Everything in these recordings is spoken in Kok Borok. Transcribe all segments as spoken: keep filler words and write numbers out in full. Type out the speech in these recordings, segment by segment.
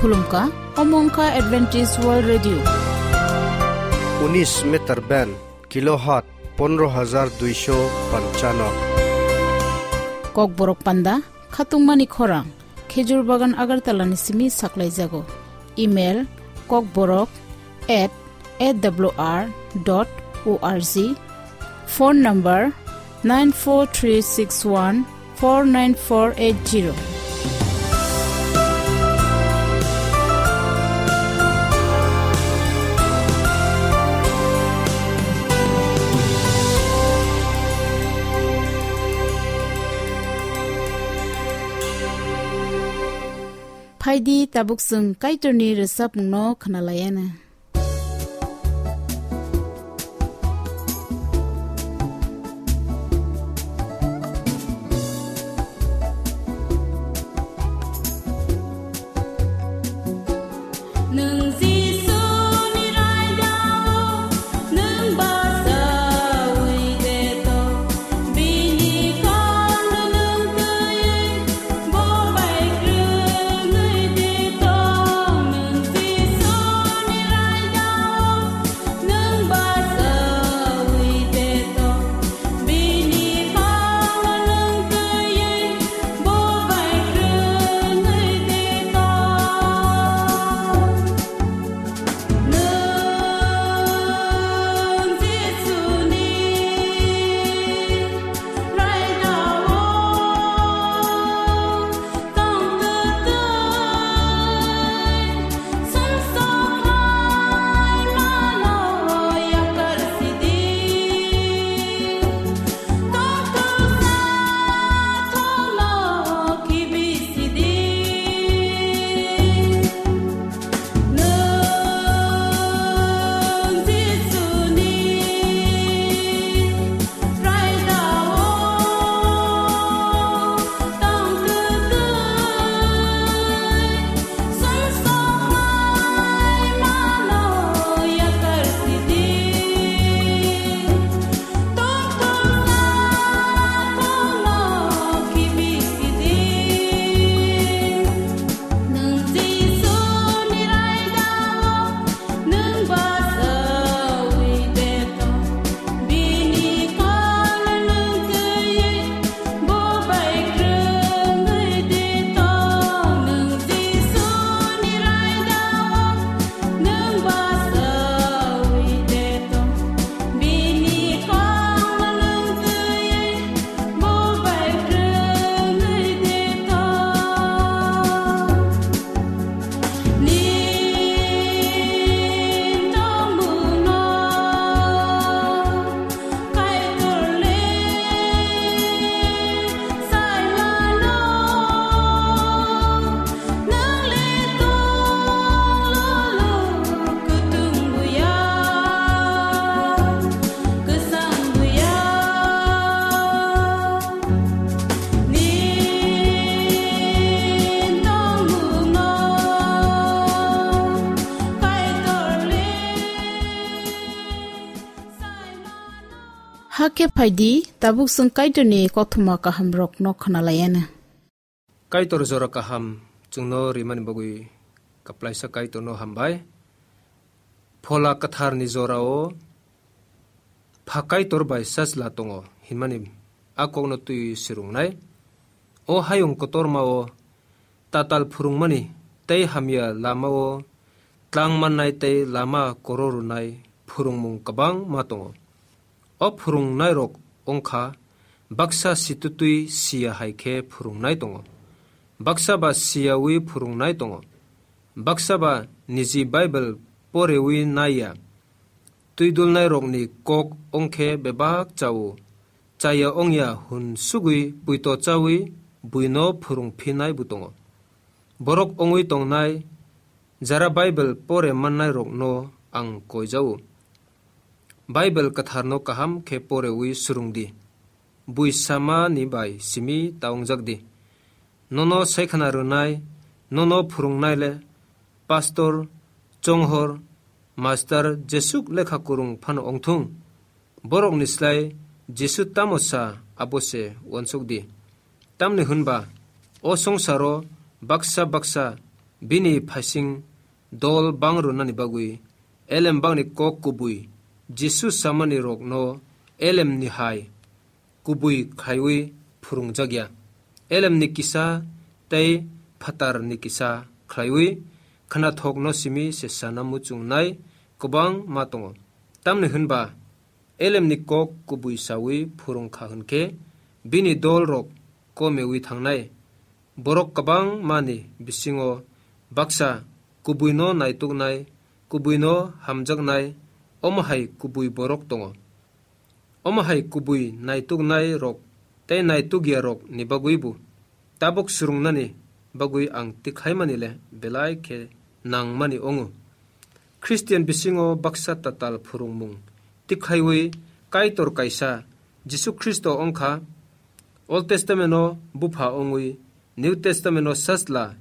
Khulumkha, omo wngkha Adventist World Radio. Unis meter band, kilohertz pondro hajar duisho panchano. Kokborok panda, khatungmani khorang, Khejur Bagan Agartala ni simi saklaijago. Email, kokborok at A W R dot O R G. Phone number nine four three six one four nine four eight zero. Phaidi tabuk chwng Kaitorni rwchapmungno khwnalaiana. Nwng Jisuni raidao, nwng bachaui de to, bini kokno nwng twiwi, bo bai kwrwngwi de to. Nwng Jisuni raidao, nwng bachaui de to, bini kokno nwng twiwi, bo bai kwrwngwi de to. Nwng Jisuni raidao tong twtwi, sumsok khlaimano yakar sidi. Tong twksa thono khibi sidi. Nwng Jisuni raidao tong twtwi, sumsok khlaimano yakar sidi. Tong twksa thono khibi sidi. Nwng Jisuni raidao, nwng bachaui de to, bini kokno nwng twiwi, bo bai kwrwngwi de to. Nwng Jisuni raidao, nwng bachaui de to, bini kokno nwng twiwi, bo bai kwrwngwi de to. Nini tongmungno Kaitor le sai mano. Nwng le tong lolo, kwthwng buya, kwchang buya. Nini tongmungno Kaitor le sai mano. Hakhe phaidi, tabuk chwng Kaitorni kothoma kahamrokno khwnalaiana. Kaitor jora kaham chwngno rimani bagwi kwplaisa Kaitorno hambai. Phola kwtharni jorao Pha Kaitor bai Sajla tongo hinmani a kokno twi swrwngnai. O hayung kotormao tatal phwrwngmani tei hamya lamao tlang mannai tei lama koro rwnai phwrwngmung kwbangma tongo. O phwrwngnairok wngkha baksa situtwi siya hai khe phwrwngnai tongo, baksa ba siyawi phwrwngnai tongo, baksa ba niji Bible porewi naiya. Twidulnairokni kok wngkhe bebak chao, chaya wngya hwn sugwi puito chawi buino phwrwngphinai bo tongo. Borok wngwi tongnai jara Bible pore mannairokno ang koijao. Bible kwtharno kaham khe porewi swrwng di. Bui samani bai simi ta wngjak di. Nono saikhwna rwnai, nono phwrwngnai le pastor, chonghor, master jesuk lekha kwrwng phano wngthung. Borokni slai Jisu tamo sa abo se uansuk di. Tamni hwnba o songsaro baksa baksa bini phaising dol bang rwnani bagwi elembakni kok kubui Jisu samani rokno elemni hai kubui khlaiwi phwrwngjakya. Elemni kisa tei phatarni kisa khlaiwi khwnathokno simi se sana muchungnai kwbangma tongo. Tamni hwnba elemni kok kubui sawi phwrwngkha hwnkhe bini dolrok komewi thangnai. Borok kwbangmani bisingo baksa kubuino naituknai, kubuino hamjaknai, omo hai kubui borok tongo. Omo hai kubui naituknai rok tei naitukya rok ni bagwi bo tabuk swrwngnani bagwi ang tikhaimani le belai khe nangmani wngo. Christian bisingo baksa tatal phwrwngmung tikhaiwi Kaitor kaisa Jisu Khristo wngkha, Old Testament o bupha wngwi, New Testament o sachla,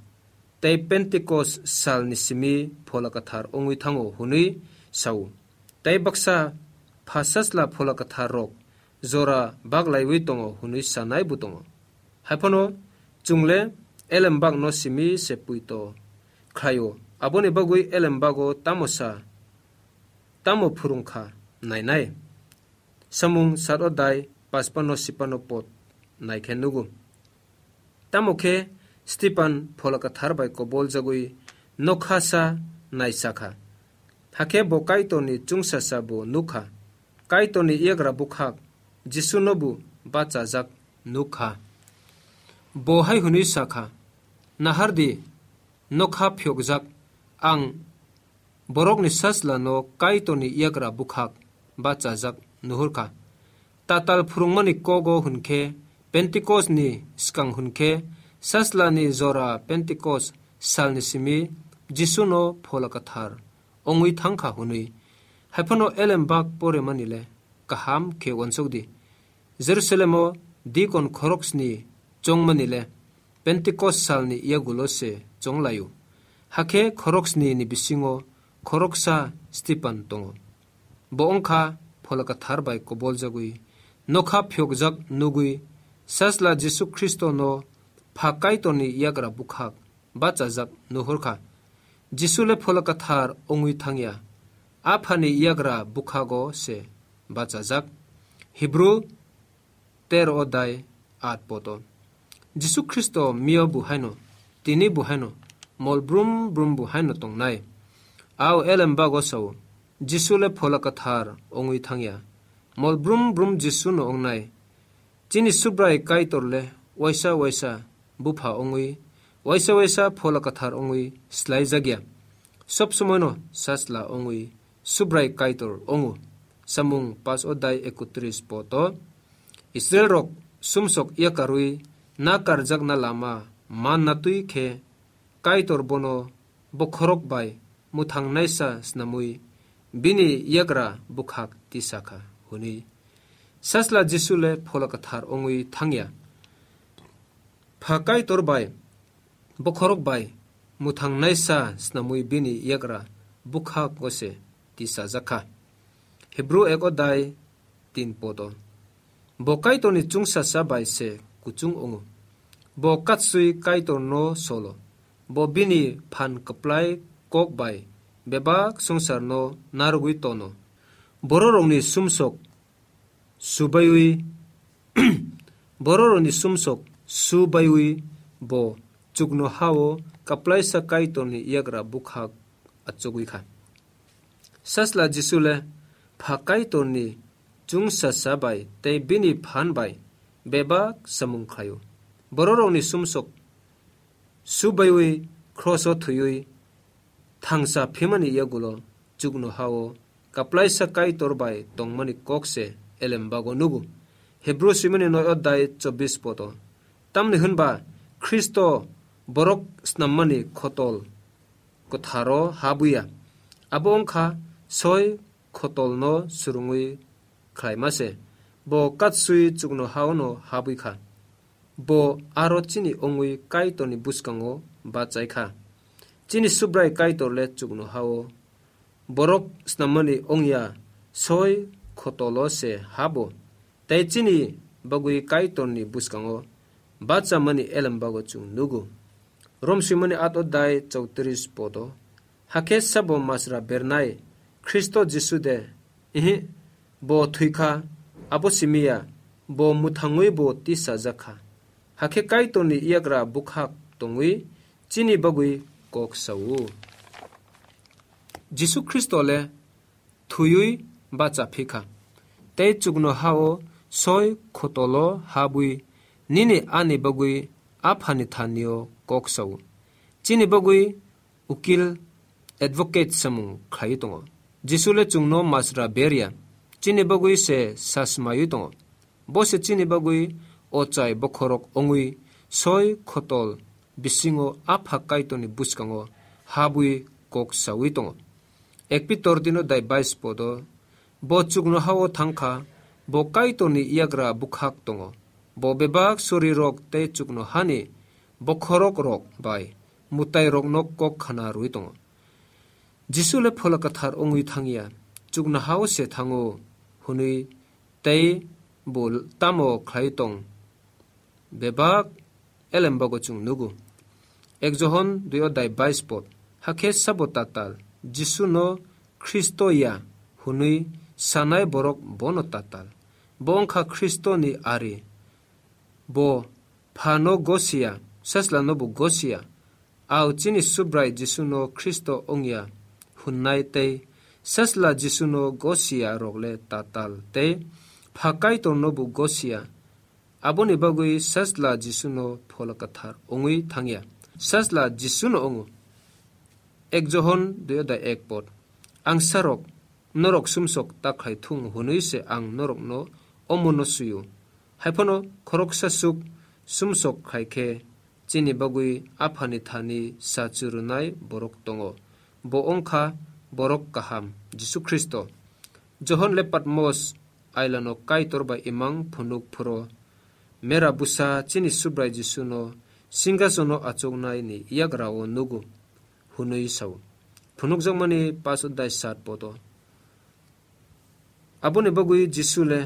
tei Pentecost salni simi Phola Kwthar wngwi thango hwnwi sao. Tei baksa pha sachla Phola Kwthar rok jora baglaiwi tongo hwnwi sanai bo tongo. Haiphano chwngle elembakno simi se puito khlaio. Aboni bagwi elembago tamo sa, tamo phwrwngkha nainai. Samung sat odai pachpano sipano pod naikhe nugo. Tamo khe Stipan Phola Kwthar bai koboljagwi nokha sa naisakha. Hakhe bo Kaitorni chwngsasa bo nukha. Kaitorni yagra bukhak Jisuno bo bachajak nukha. Bo hai hwnwi sakha, "Nahardi, nokha phiyokjak, ang borokni sachlano Kaitorni yagra bukhak bachajak nuhurkha." Tatal phwrwngmani kogo hwnkhe Pentecost ni swkang hwnkhe sachlani jora Pentecost salni simi Jisuno Phola Kwthar wngwi thangkha hwnwi. Haiphano elembak poremani le kaham khe uansukdi. Jerusalemo dikon khoroksni chongmani le Pentecost salni yagulo se chonglaio. Hakhe khoroksni ni bisingo khoroksa Stipan tongo. Bo wngkha Phola Kwthar bai koboljagwi nokha phiyokjak nugwi sachla Jisu Khristono pha Kaitorni yagra bukhak bachajak nuhurkha. Jisu le Phola Kwthar wngwi thangya. Aphani yagra bukhago se bachajak. Hebrew tero odai at poto. Jisu Khristo miyo bo haino, tini bo haino, mol brum brum bo haino tongnai. Ao elembago sao, Jisu le Phola Kwthar wngwi thangya. Mol brum brum Jisu no wngnai. Chini Subrai Kaitor le waisa waisa bupha wngwi, waisa waisa Phola Kwthar wngwi slaijakya. Sob somoino sachla wngwi Subrai Kaitor wngo. Samung pas odai ekotris poto. Israel rok sumsok yakarwi nakarjakna lama manna twi khe Kaitor bono bokhorok bai mwthangnaisa snamwi bini yagra bukhak tisakha hwnwi. Sachla Jisu le Phola Kwthar wngwi thangya. Pha Kaitor bai bokhorok bai mwthangnaisa snamwi bini yagra bukhago se tisajakha. Hebrew ek odai tin poto. Bo Kaitorni chwngsasa bai se kuchung wngo. Bo katswi Kaitorno solo. Bo bini phan kwplai kok bai bebak swngcharno narwgwi tono. Bororokni sumsok subaiwi, bororokni sumsok subaiwi bo chukno hao kaplaisa Kaitorni yagra bukhak achugwi kha. Sachla Jisu le pha Kaitorni chwngsasa bai tei bini phan bai bebak samung khlaio. Bororokni sumsok subaiwi kroso thwiwi thangsa phimani yagulo chukno hao kaplaisa Kaitor bai tongmani kok se elembago nugo. Hebrew simani noi odai chobbish poto. Tamni hwnba Khristo borok snammani khotol kwtharo habuya. Abo wngkha soi khotolno swrwngwi khlaima se. Bo katswi chukno haono habwi kha. Bo aro chini wngwi Kaitorni bwskango bachai kha. Chini Subrai Kaitor le chukno hao borok snammani wngya, soi khotolo se habo. Tei chini bagwi Kaitorni bwskango bachamani elembago chwng nugo. Rom swimani at odai chowtris podo. Hakhe sabo masra bernai Khristo Jisu de? Ihi, bo thwikha, abo simiya, bo mwthangwi bo tisajakha. Hakhe Kaitorni yagra bwkhak tongwi chini bagwi kok sao. Jisu Khristo le thwiwi bacha phikha, tei chuknohao soi khotolo habwi nini ani bagwi Aphani thanio kok sao. Chini bagwi ukil, advocate samung khlaiwi tongo. Jisu le chwngno masra berya, chini bagwi se sasmaiwi tongo. Bo se chini bagwi ochai bokhorok wngwi soi khotol bisingo Apha Kaitorni bwskango habwi kok saui tongo. Ek Pitor tino dai bais podo, bo chuknohao thangkha, bo Kaitorni yagra bwkhak tongo. Bo bebak sorirok tei chuknohani bokhorok rok bai mwtairokno kok khna rwi tongo. Jisu le Phola Kwthar wngwi thangya, chuknohao se thango hwnwi tei bo tamo khlai tong bebak elembago chwng nugo. Ek Johon dui odai bais pod, hakhe sabo tatal, Jisu no Khristo ya hwnwi sanai borok bono tatal. Bo wngkha Khristo ni ari. Bo Pha no gosiya, Sajla no bo gosiya. Ao chini Subrai Jisu no Khristo wngya hwnnai tei Sajla Jisu no gosiya rok le tatal tei Pha Kaitor no bo gosiya. Aboni bagwi Sajla Jisu no Phola Kwthar wngwi thangya. Sajla Jisu no wngo. Ek Johon dui odai ek pod. Angsarok, norok sumsok ta khlai thung hwnwi se ang norokno omono swi-o. Haiphano khoroksa chuk sumsok khlai khe chini bagwi Aphani thani sa churunai borok tongo. Bo wngkha borok kaham, Jisu Khristo. Johon le Patmos ailano Kaitor bai imang phunuk phuro, mera bwsa chini Subrai Jisu no singhasono achuknai ni yagra o nugo hwnwi sao. Phunukjakmani paso dai sat podo. Aboni bagwi Jisu le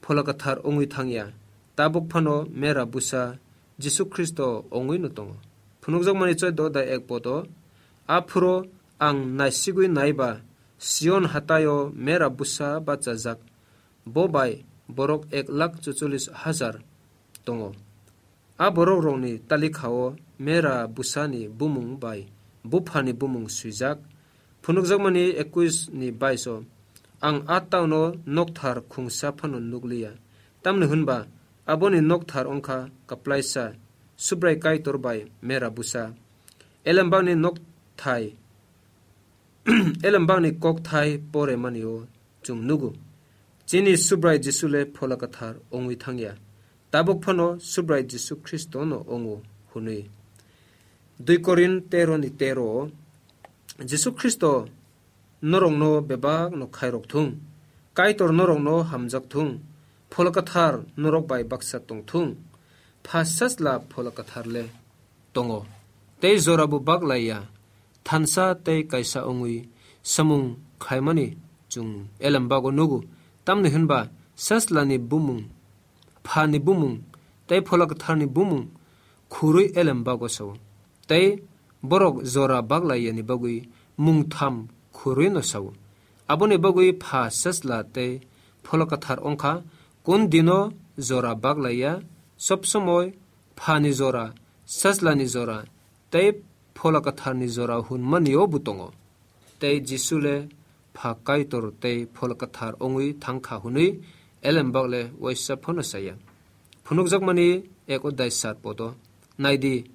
Phola Kwthar wngwi thangya, tabuk phano mera bwsa Jisu Khristo wngwi no tongo. Phunukjakmani choi do dai ek podo, aphuro ang naisigwi naiba Sion hataio mera bwsa bachajak, bo bai borok ek lakh chuchollis hajar tongo. A borok rokni talikha o mera bwsani bumung bai buphani bumung swijak. Phunukjakmani ekwis ni bais o, ang a town o nokthar khungsa phano nukliya. Tamni hwnba aboni nokthar wngkha kwplaisa, Subrai Kaitor bai mera bwsa. Elembakni nokthai, elembakni kokthai pore mani o chwng nugo. Chini Subrai Jisu le Phola Kwthar wngwi thangya. Tabuk phano Subrai Jisu Khristo no wngo hwnwi. Dui Korin tero ni tero o, Jisu Khristo norokno bebak no khairok thung. Kaitor norokno hamjak thung. Phola Kwthar norok bai baksa tong thung. Pha Sajla Phola Kwthar le tongo. Tei jora bo bak laiya. Thansa tei kaisa wngwi samung khlaimani chwng elembago nugo. Tamni hwnba Sajlani bumung, Phani bumung tei Phola Kwtharni bumung khurwi elembago sao. Tei borok jora bak laiyani bagwi mungtham khurwi no sao. Aboni bagwi Pha, Sajla tei Phola Kwthar wngkha, kun dino jora bak laiya, sob somoi Phani jora, Sajlani jora tei Phola Kwtharni jora hwnmani o bo tongo. Tei Jisu le Pha Kaitor tei Phola Kwthar wngwi thangkha hwnwi elembak le waisa phano saya. Phunukjakmani ek odai sat podo. Naidi,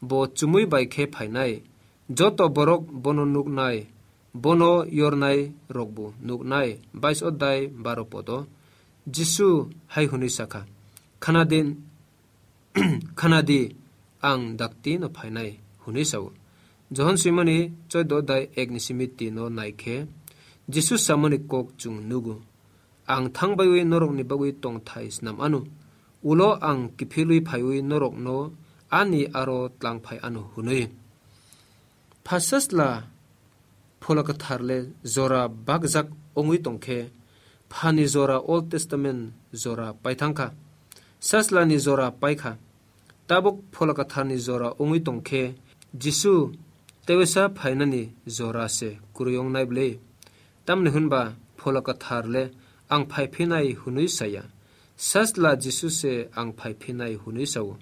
bo chumui bai khe phainai. Joto borok bono nuknai, bono yornai rokbo nuknai. Bais odai baro podo. Jisu hai hwnwi sakha, Khna din, khna di, ang dakti no phainai, hwnwi sao. Johon swimani choi do dai ek ni simi tin no nai khe, Jisu samani kok chwng nugo, ang thang baiwi norokni bagwi tongthai snam ano, ulo ang kiphilwi phaiwi norokno ani aro tlang phai ano, hwnwi. Pha Sajla Phola Kwthar le jora bakjak wngwi tong khe, Phani jora Old Testament jora paithang kha, Sajlani jora pai kha. Tabuk Phola Kwtharni jora wngwi tong khe, Jisu tewisa phainani jora se kwrwi wngnai bwle. Tamni hwnba Phola Kwthar le ang phai phinai hwnwi saya. Sajla Jisu se ang phai phinai hwnwi sao.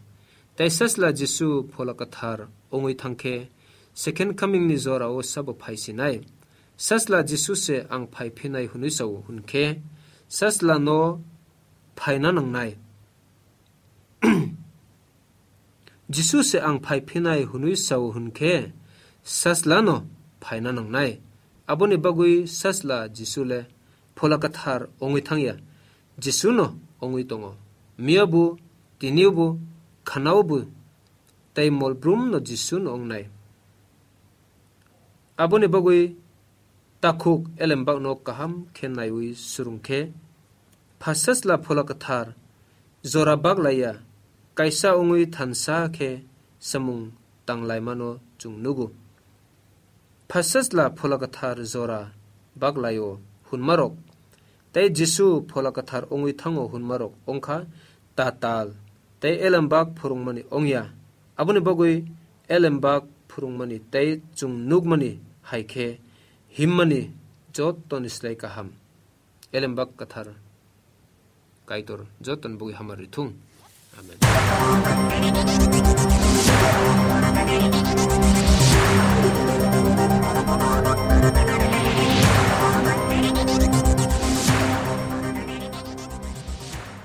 Tei Sajla Jisu Phola Kwthar wngwi thang khe, Second Coming ni jora o sabo phai sinai. Sajla Jisu se ang phai phinai hwnwi sao hwn khe, Sajla no phaina nangnai. Jisu se ang phai phinai hwnwi sao hwn khe, Sajla no phaina nangnai. Aboni bagwi Sajla Jisu le Phola Kwthar wngwi thang ya, Jisu no wngwi tongo. Miya bo, tini bo, khana bo, tei mol brum no Jisu no wngnai. Aboni bagwi takhuk elembak no kaham khe naiwi swrwng khe, Pha Sajla Phola Kwthar jora bak lai ya, kaisa wngwi thansa khe samung tang laima no chwng nugo. Pha Sajla Phola Kwthar jora bak lai o hwnma rok tei Jisu Phola Kwthar wngwi thango hwnma rok wng kha tatal tei elembak phwrwngmani wng ya. Aboni bagwi elembak phwrwngmani tei chwng nukmani hai khe himmani jotoni slai kaham. Elembak Kwthar Kaitor jotoni bagwi hamari thung. Amen.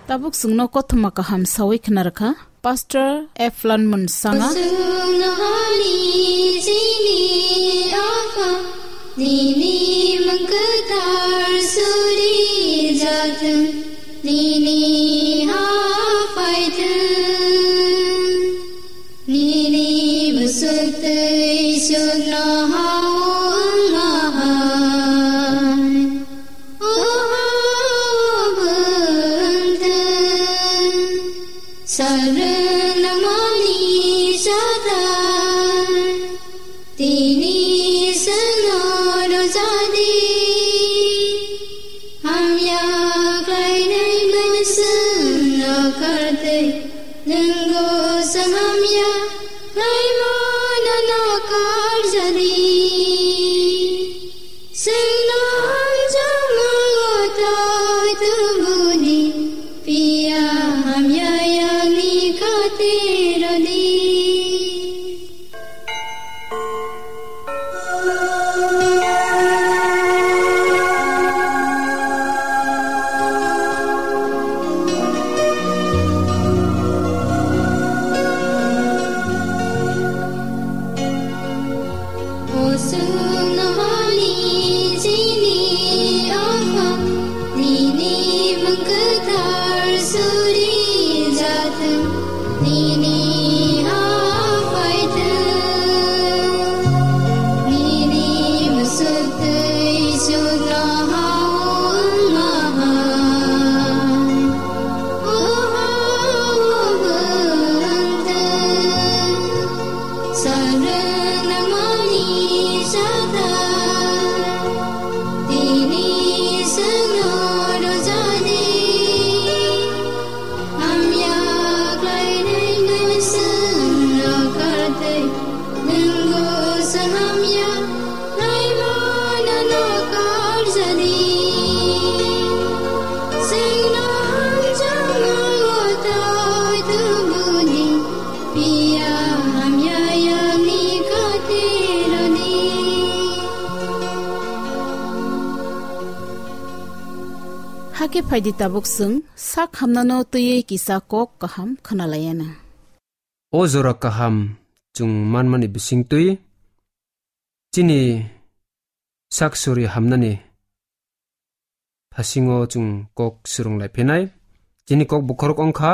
Tabuk chwngno kothoma kaham sawi khna rwkha Pastor Eflan Munsanga. Nini mangkwthar suri jathwng, nini ha phaithwng, nini bwswk twi sukno ha wng ma hai. O ha wng thwng, sal rwng nangmani sathai. Tini chwngno rwjadi, hamya khlainai mani chwngno kartwi, nwngbo chwng hamya khlaimano no karjadi. Chwngno hamjakmano twi tubudi, phiya hamya yakni khatirodi. Hakhe phaidi tabuk chwng sak hamnano twiwi kisa kok kaham khwnalaiana. O jora kaham chwng manmani bisingtwi chini sak suri hamnani phasingo chwng kok swrwng lai phinai. Chini kok bokhorok wngkha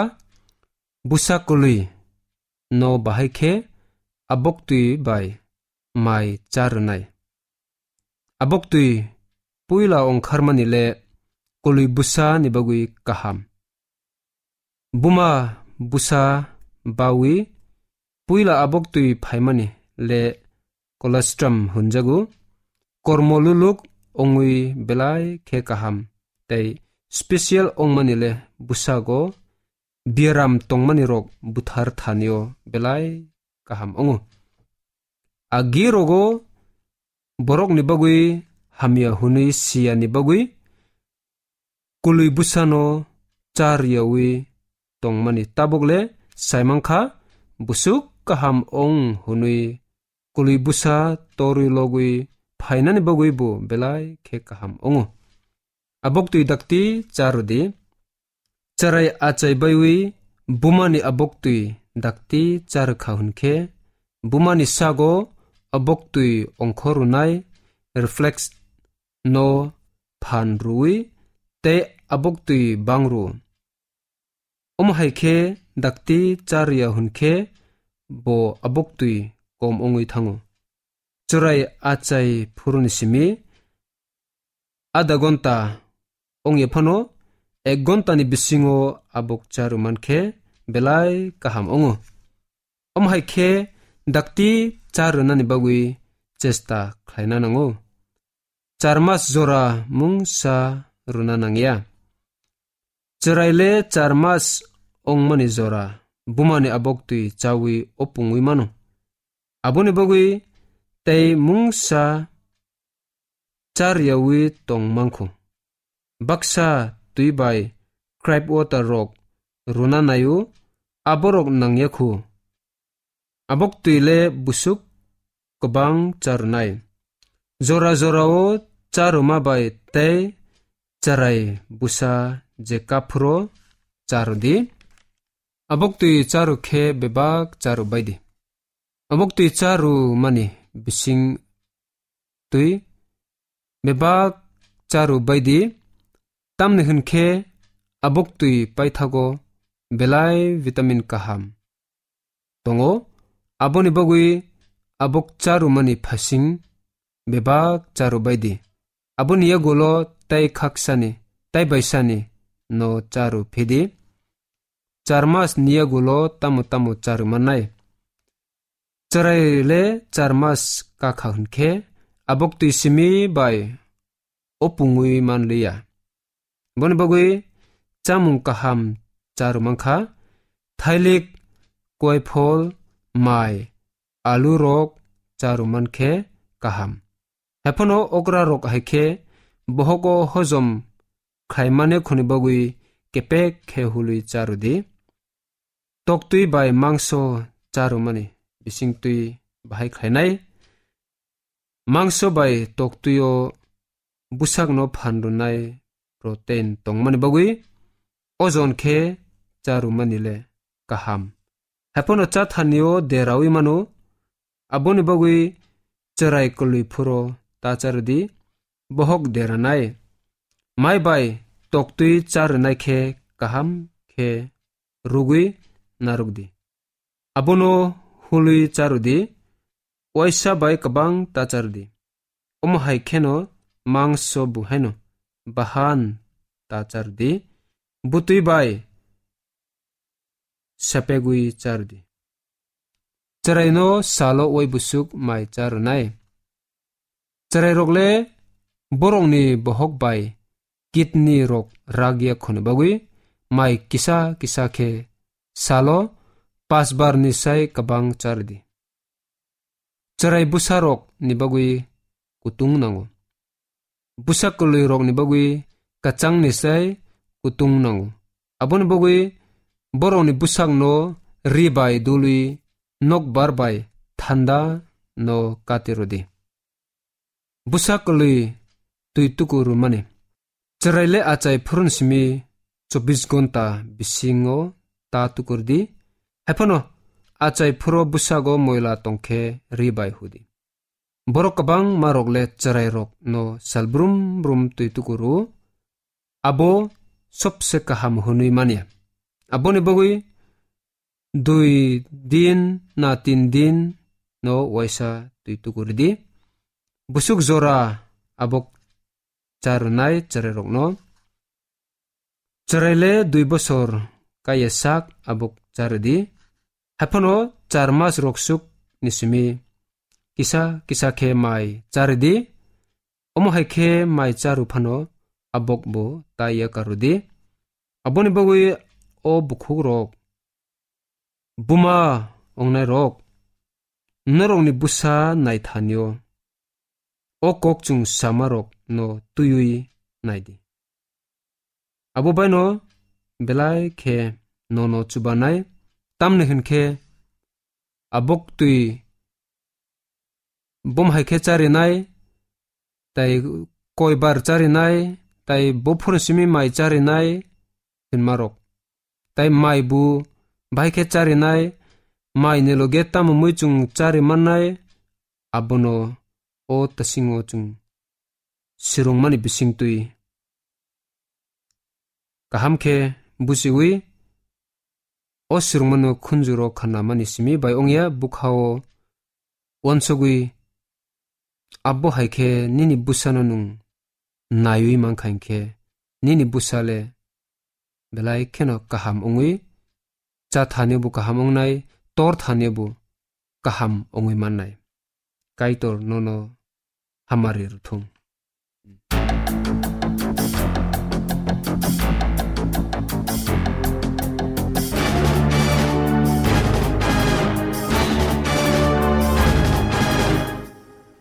bwsa kwlwi no bahai khe aboktwi bai mai cha rwnai. Aboktwi puila ongkharmani le kwlwi bwsa ni bagwi kaham. Buma bwsa bawi puila aboktwi phaimani le colostrum hwnjago. Kormo luluk ongwi belai khe kaham tei special ongmani le bwsago biaram tongmani rok buthar thanio belai kaham ongo. agi rogo borokni bagwi hamya hwnwi siyani bagwi kwlwi bwsano char yawi tongmani tabukle saimankha, busuk kaham ong hwnwi kwlwi bwsa torwi logwi phainani bagwi bo belai khe kaham ongo. Aboktwi dakti charwdi. Chwrai achai baiwi bumani aboktwi dakti charwkha hwnkhe, bumani sago aboktwi ongkhorunai reflex no phan rwwi tei aboktwi bang rw. Omo hai khe dakti charya hwnkhe bo aboktwi kom wngwi thango. Chwrai achai phuruni simi adha gonta ongya phano ek gontani bisingo abok charw mankhe belai kaham ongo. Omo hai khe dakti charwnani bagwi chesta khlaina nango. Char mas jora mungsa rwna nangya. Chwraile char mas ongmani jora bumani aboktwi chawi opungwi mano. Aboni bagwi tei mungsa charyawi tong mankhu. Baksa twi bai cribe water rok rwna naio, aborok nangya khu. Aboktwi le busuk kwbang charwnai. Jora jorao charwma bai tei chwrai bwsa je kaphuro charwdi. Aboktwi charw khe bebak charw baidi. Aboktwi charw mani bising twi bebak charw baidi, tamni hwn khe aboktwi paithago belai vitamin kaham tongo, aboni bagwi abok charw mani phasing bebak charw baidi. Aboni yagulo tai khaksani, tai baisani no charw phidi. Char mas ni yagulo tamo tamo charw mannai. Chwrai le char mas kakha hwn khe, aboktwi simi bai opungwi manliya. Boni bagwi chamung kaham charw mankha, thailik, koiphol, mai, alu rok charw mankhe kaham. Haiphano okra rok hai khe bohogo hojom khlaimani khoni bagwi kepek khe hului charwdi. Toktwi bai mangso charwmani bisingtwi bahai khlainai. Mangso bai toktwio bwsakno phan rwnai protein tongmani bagwi ojon khe charwmani le kaham. Haiphano chathanio derawi mano, aboni bagwi chwrai kwlwi phuro ta charwdi, bohok deranai. Mai bai toktwi charwnai khe kaham khe rugwi narwkdi. Abono hului charwdi, uaisa bai kwbang ta charwdi. Omo hai kheno mangso buhaino bahan ta charwdi, bwtwi bai sepegwi charwdi. Chwraino salo uai busuk mai charwnai. Chwrairok le borokni bohok bai kidney rok rak ya khoni bagwi mai kisa kisa khe salo pas bar ni sai kwbang charwdi. Chwrai bwsa rok ni bagwi kutung nango. Bwsa kwlwi rok ni bagwi kwchang ni sai kutung nango. Aboni bagwi borok ni bwsak no ri bai dului nokbar bai thanda no kati rwdi. Bwsa kwlwi twi tukur rwmani. Chwrai le achai phuruni simi chobbish gonta bisingo ta tukur di. Haiphano achai phuro bwsago moila tongkhe ri bai hudi. Borok kwbangma rok le chwrai rok no sal brum brum twi tukur rw. Abo sobse kaham hwnwi manya. Aboni bagwi dui din na tin din no uaisa twi tukur di. Busuk jora abok charwnai chwrairokno. Chwrai le dui bosor kaiya sak abok charwdi. Haiphano char mas rok suk ni simi kisa kisa khe mai charwdi. Omo hai khe mai charw phano abok bo ta ya karwdi. Aboni bagwi o bukhuk rok buma ongnairok norokni bwsa naithanio o kok chwng samarokno twiwi naidi. Abo baino belai khe nono chubanai, tamni hwn khe abok twi bom hai khe charinai, tai koibar charinai, tai buphuru simi mai charinai hinmarok. Tai mai bu bai khe charinai, mai ni loge tamo mui chwng chari mannai, abono o tasingo chwng sirungmani bisingtwi kaham khe buchiwi, o sirungmano khunjuro khanamani simi bai ongya bukhao uansugwi, abo hai khe nini bwsano nwng naiwi mankha hinkhe, nini bwsa le belai kheno kaham wngwi, cha thanibo kaham wngnai, tor thanibo kaham wngwi mannai. Kaitor nono hamari rwthung.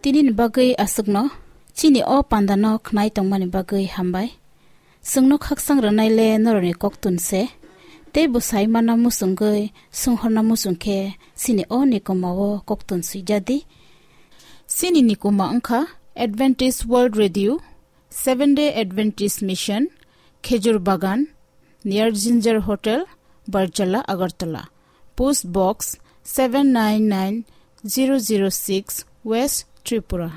Tini ni bagwi aswkno, chini o panda no khnai tongmani bagwi hambai. Chwngno khaksang rwnai le norokni koktun se, tei bwsai mana muchungwi sunghorna muchung khe chini o nikoma o koktun swijadi. Chini nikoma wngkha Adventist World Radio, Seventh Day Adventist Mission, Khejur Bagan, near Ginger Hotel, Barjala, Agartala. Post Box seven nine nine zero zero six, West Tripura.